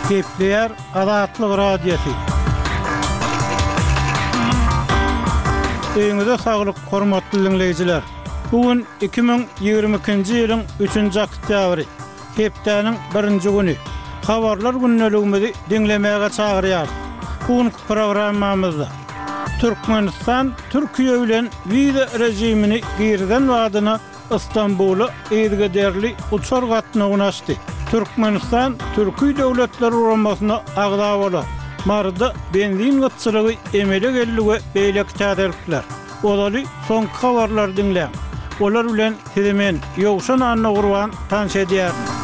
Gepleýär Azatlyk Radiosy. Öýüňize saglyk, hormatly diňleýjiler! Bu gün 2022-nji ýylyň üçünji oktýabry, hepdäniň birinji güni. Habarlar gündeligimizi diňlemäge çagyrýarys. Bu günki programmamyzda Türkmenistan Türkiýe bilen wiza režimini girizen badyna Stambula yzygiderli uçar gatnawyny açdy. Türkmenistan Türki Döwletler Guramasyna agza bolar. Maryda benzin gytçylygy emele geldi we beýleki täzelikler. Ozaly soňky habarlary diňläň. Olar bilen sizi men, Ýowşan Annagurban tanyş edýärin.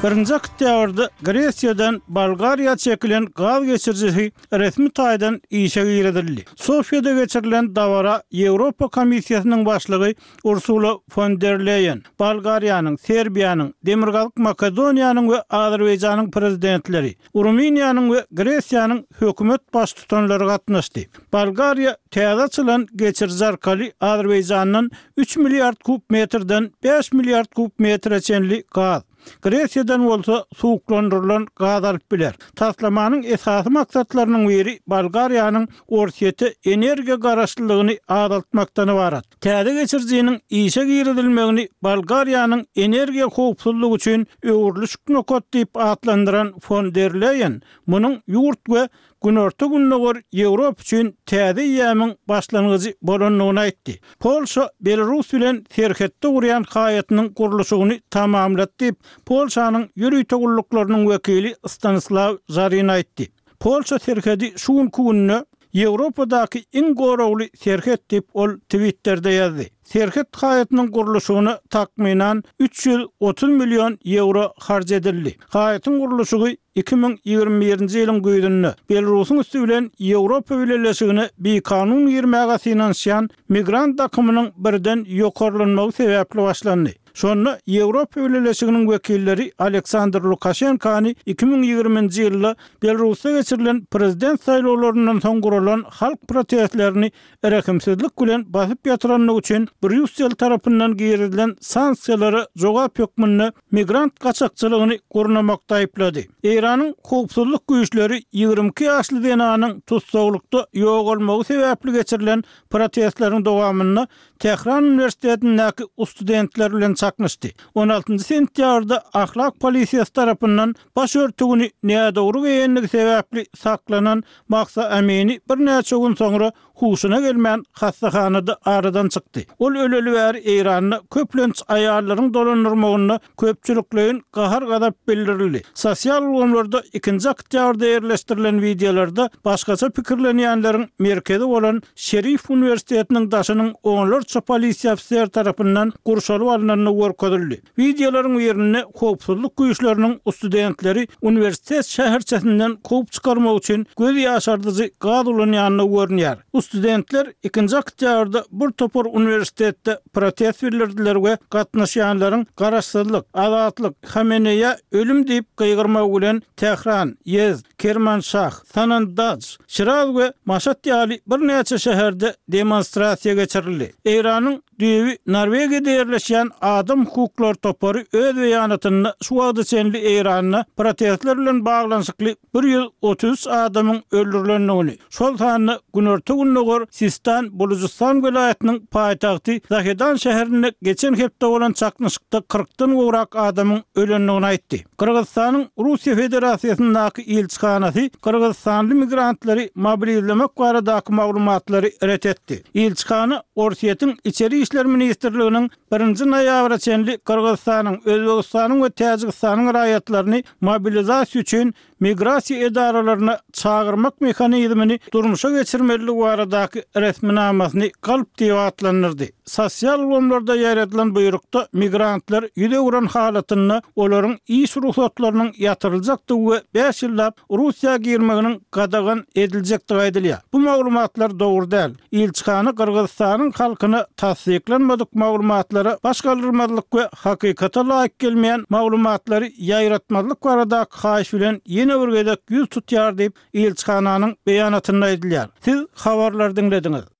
Birinji oktýabrda Gresiýadan Bolgariýa çekilen gaz geçirijisi resmi taýdan işe girizildi. Sofiýada geçirilen dabara Ýewropa Komissiýasynyň başlygy Ursula fon der Leýen, Bolgariýanyň, Serbiýanyň, Demirgazyk Makedoniýanyň we Azerbaýjanyň Prezidentleri, Rumyniýanyň we Gresiýanyň hökümet baştutanlary gatnaşdy. Bolgariýa täze açylan geçiriji arkaly Azerbaýjandan üç milliard kub metrden bäş milliard kub metre çenli gaz, Gresiýadan bolsa suwuklandyrylan gaz alyp biler. Taslamanyň esasy maksatlarynyň biri Bolgariýanyň Orsýete energiýa garaşlylygyny azaltmakdan ybarat. Täze geçirijiniň işe girizilmegini Bolgariýanyň energiýa howpsuzlygy üçin öwrülişik nokat diýip atlandyran fon der Leýen munuň ýurt we Günorta-Gündogar Ýewropa üçin täze eýýamyň başlangyjy bolandygyny aýtdy. Polşa Belarus bilen serhetde gurýan haýatynyň gurluşygyny tamamlady diýip, Polşanyň ýörite gulluklarynyň wekili Stanislaw Žarin aýtdy. Polşa serhedi şu günki günde Ýewropadaky iň goragly serhet diýip, ol Twitterde ýazdy. Serhet haýatynyň gurluşygyna takmynan 330 million ýewro harç edildi. Haýatyň gurluşygy 2021-nji ýylyň güýzünde Belarusyň üsti bilen Ýewropa Bileleşigine bikanun girmäge synanyşýan migrant akymynyň birden ýokarlanmagy sebäpli başlandy. Şonda Ýewropa Bileleşiginiň wekilleri Aleksandr Lukaşenkany 2020-nji ýylda Belarusda geçirilen prezident saýlawlaryndan soň guralan halk protestlerini rehimsizlik bilen basyp ýatyrandygy üçin Brýussel tarapyndan girizilen sanksiýalara jogap hökmünde migrant gaçakçylygyny gurnamakda aýyplady. Eýranyň howpsuzlyk güýçleri 22 ýaşly zenanyň tussaglykda ýogalmagy sebäpli geçirilen protestleriň dowamynda Tähran uniwersitetindäki ustudentler bilen çaknyşdy. On altynjy sentýabrda ahlak polisiýasy tarapyndan baş örtügini nädogry geýendigi sebäpli saklanan Mahsa Amini birnäçe gün soňra huşuna gelmän hassahanada aradan çykdy. Ol öleli bäri Eýranda köplenç aýallaryň dolandyrmagynda köpçülikleýin gahar-gazap bildirildi. Sosial ulgamlarda ikinji oktýabrda ýerleşdirilen wideolarda başgaça pikirlenýänleriň merkezi bolan Şerif uniwersitetiniň daşynyň onlarça polisiýa ofiseri tarapyndan gurşalyp alnandygy görkezildi. Wideolaryň birinde howpsuzlyk güýçleriniň studentleri uniwersitet şäherçesinden kowup çykarmak üçin göz ýaşardyjy gaz ulanýandygy görünýär. Studentler ikinji oktýabrda bir topar uniwersitetde protest bildirdiler we gatnaşýanlaryň Garaşsyzlyk! Azatlyk! Hameneýä ölüm diýip gygyrmagy bilen Tähran, Ýezd, Kermanşah, Sanandaj, Şiraz we Maşat ýaly birnäçe şäherde demonstrasiýa geçirildi. Eýranyň Düýbi Norwegiýada ýerleşýän adam hukuklary topary öz beýanatynda şu wagta çenli Eýranda protestler bilen baglanyşykly 133 adamyň öldürilendigini, şol sanda günorta-gündogar Sistan-Bulujystan welaýatynyň paýtagty Zahedan şäherinde geçen hepde bolan çaknyşykda kyrkdan gowrak adamyň ölendigini aýtdy. Gyrgyzystanyň Russiýa Federasiýasyndaky ilçihanasy gyrgyzystanly migrantlary mobilizlemek baradaky maglumatlary ret etdi. Ilçihana Orsýetiň Içeri işler ministrliginiň birinji noýabra çenli Gyrgyzystanyň, Özbegistanyň we Täjigistanyň raýatlaryny mobilizasiýa üçin migrasiýa edaralaryna çagyrmak mehanizmini durmuşa geçirmelidigi baradaky resminamasyny galp diýip atlandyrdy. Sosial ulgamlarda ýaýradylan buýrukda migrantlar ýüz öwren halatynda olaryň iş rugsatlarynyň ýatyryljakdygy we bäş ýyllap Russiýa girmeginiň gadagan ediljekdigi aýdylýar. Bu maglumatlar dogry däl. Ilçihana Gyrgyzystanyň halkyna tassyklanmadyk maglumatlara baş galdyrmazlyk we hakykata laýyk gelmeýän maglumatlary ýaýratmazlyk baradaky haýyş bilen ýene bir gezek ýüz tutýar diýip, ilçihananyň beýanatynda aýdylýar. Siz habarlary diňlediňiz.